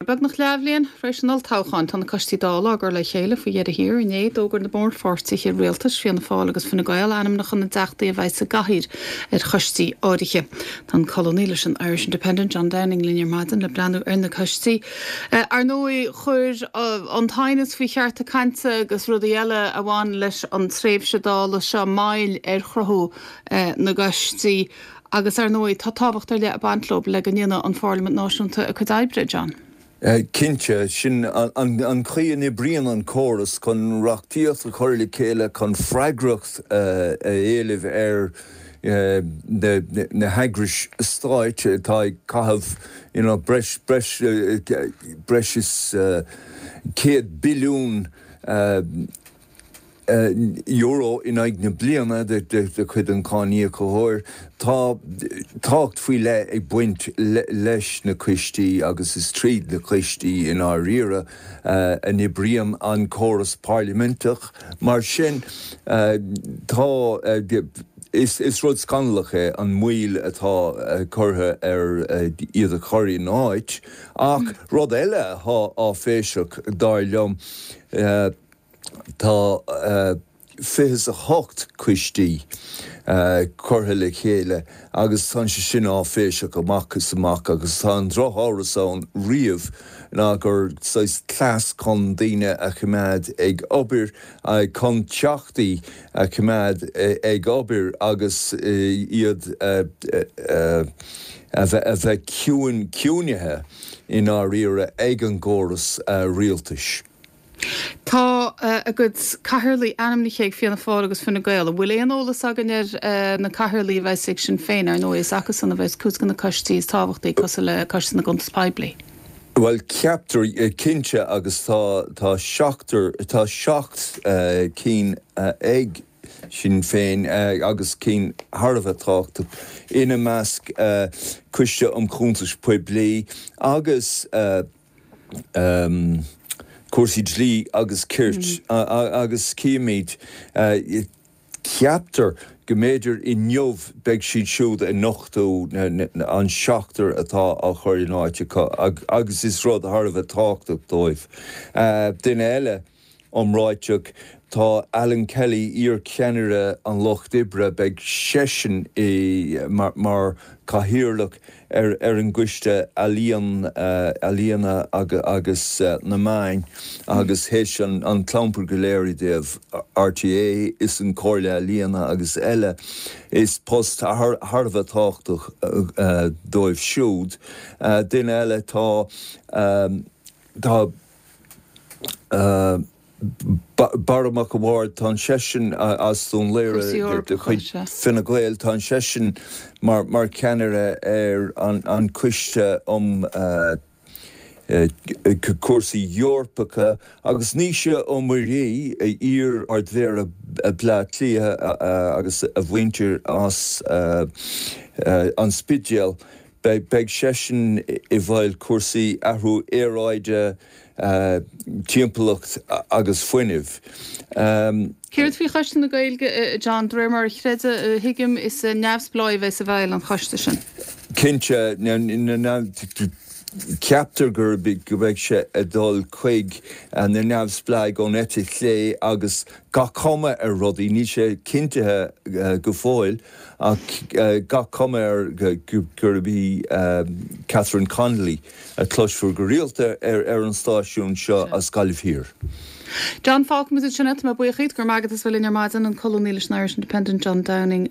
Beagnach leathbhliain tar éis an olltoghcháin, tá na coistí Dála á gcur le chéile faoi dheireadh thiar. Inné, d'fhógair na mórpháirtithe rialtais, Fianna Fáil agus Fine Gael, ainmneacha na dteachtaí a bheidh sa gcathaoir ar choistí áirithe. Tá an colúnaí leis an Irish Independent, John Downing, linn ar maidin le breathnú ar na coistí. Ar ndóigh, chuir an t-aighneas faoi chearta cainte agus rudaí eile a bhain leis an tréimhse Dála seo moill ar chruthú na gcoistí. Agus ar ndóigh, tá tábhacht ar leith ag baint leo le go ndéanfaidh an Pharlaimint Náisiúnta a cuid oibre, John. Cinnte, sin an chaoi a n-oibríonn an córas, chun reachtaíocht a chur le chéile, chun freagracht a éileamh ar na heagrais stáit atá ag caitheamh you know breis breis breis is 100 billiún euro in aghaidh na bliana de chuid an cháiníocóir. Tá tábhacht faoi leith ag baint leis na coistí agus is tríd na coistí i ndáiríre a n-oibríonn an córas parlaiminteach. Mar sin, tá, is rud scannalach é an mhoill atá curtha ar iad a chur in áit. Ach rud eile atá áiféiseach, dar liom, Tá 28 coistí curtha le chéile agus tá sé sin áiféiseach amach is amach agus tá an drochamhras ann riamh ná gur saghas cleas chun daoine a choimeád ag obair, chun teachtaí a choimeád ag obair agus iad a bheith ciúin, ciúinithe i ndáiríre ag an gcóras rialtais. Tá a gcuid cathaoirligh ainmnithe ag Fianna Fáil agus Fine Gael. An bhfuil aon eolas againn ar na cathaoirligh a bheas ag Sinn Féin? Ar ndóigh, is acusan a bheas cuid de na coistí is tábhachtaí, cosúil le Coiste na gCuntas Poiblí. Bhuel, ceaptar, cinnte, agus tá, tá seachtar, tá seacht cinn ag Sinn Féin agus cinn thar a bheith tábhachtach, ina measc Coiste um Chuntais Poiblí agus. cúrsaí dlí agus cirt agus cífimid, ceaptar go mb'fhéidir inniu beidh siad siúd ag nochtadh an seachtar atá á chur in áit acu agus is rud thar a bheith tábhachtach dóibh. Duine eile iomráiteach, tá Alan Kelly, iar-cheannaire an Lucht Oibre, beidh seisean mar chathaoirleach ar an gCoiste Ealaíon, Ealaíona agus na Meáin agus théis an clampar go léir i dtaobh RTÉ is an Chomhairle Ealaíona agus eile, is post thar a bheith tábhachtach dóibh siúd. Duine eile, tá, tá. Barra Mac a' Bhaird, tá seisean as Dún Laoghaire de chuid Fine Gael, tá seisean mar cheannaire ar an Choiste um Chúrsaí Eorpacha agus Naoise Ó Muirí, iar-Ard-Mhéara Bhaile Átha Cliath agus a mhuintir as an Spidéal. Beidh seisean i bhfeighil cúrsaí athrú aeráide, timpeallacht agus fuinnimh. Céard faoi Choiste na Gaeilge, a John? De réir mar a chreidim, a thuigim, is neamhspleáigh a bheas i bhfeighil an choiste sin. Cinnte, ceaptar go mbeidh sé ag dul chuig na neamhspleáigh ón eite chlé agus gach cuma ar rudaí, níl sé cinntithe go fóill, Ach gach cuma air gurb í Catherine Connolly a chloisfear go rialta ar an stáisiún seo as Gaillimh Thiar. John, fágfaimid ansin é. Tá mé buíoch díot. Go raibh maith agat as bheith linn ar maidin, an colúnaí leis an Irish Independent, John Downing.